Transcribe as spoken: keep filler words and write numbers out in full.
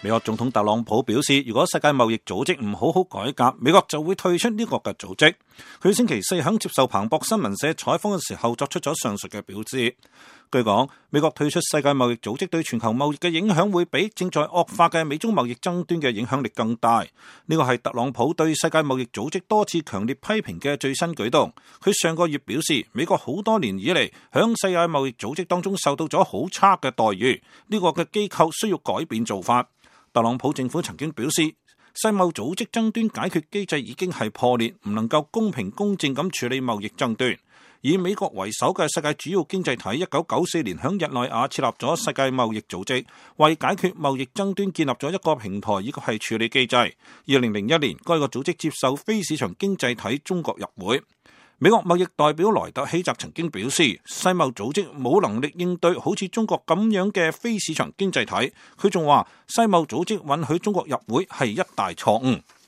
美國總統特朗普表示，如果世界貿易組織唔好好改革，美國就會退出呢個嘅組織。佢星期四喺接受彭博新聞社採訪嘅時候作出咗上述嘅表示。據講，美國退出世界貿易組織對全球貿易嘅影響會比正在惡化嘅美中貿易爭端嘅影響力更大。呢個係特朗普對世界貿易組織多次強烈批評嘅最新舉動。佢上個月表示，美國好多年以嚟響世界貿易組織當中受到咗好差嘅待遇，呢個嘅機構需要改變做法。特朗普政府曾經表示，世貿組織爭端解決機制已經係破裂，唔能夠公平公正咁處理貿易爭端。以美國為首嘅世界主要經濟體一九九四年響日內瓦設立咗世界貿易組織，為解決貿易爭端建立咗一個平台，以及係處理機制。二零零一年，該個組織接受非市場經濟體中國入會。美國貿易代表萊特希澤曾經表示，世貿組織冇能力應對好似中國咁樣嘅非市場經濟體。佢仲話，世貿組織允許中國入會係一大錯誤。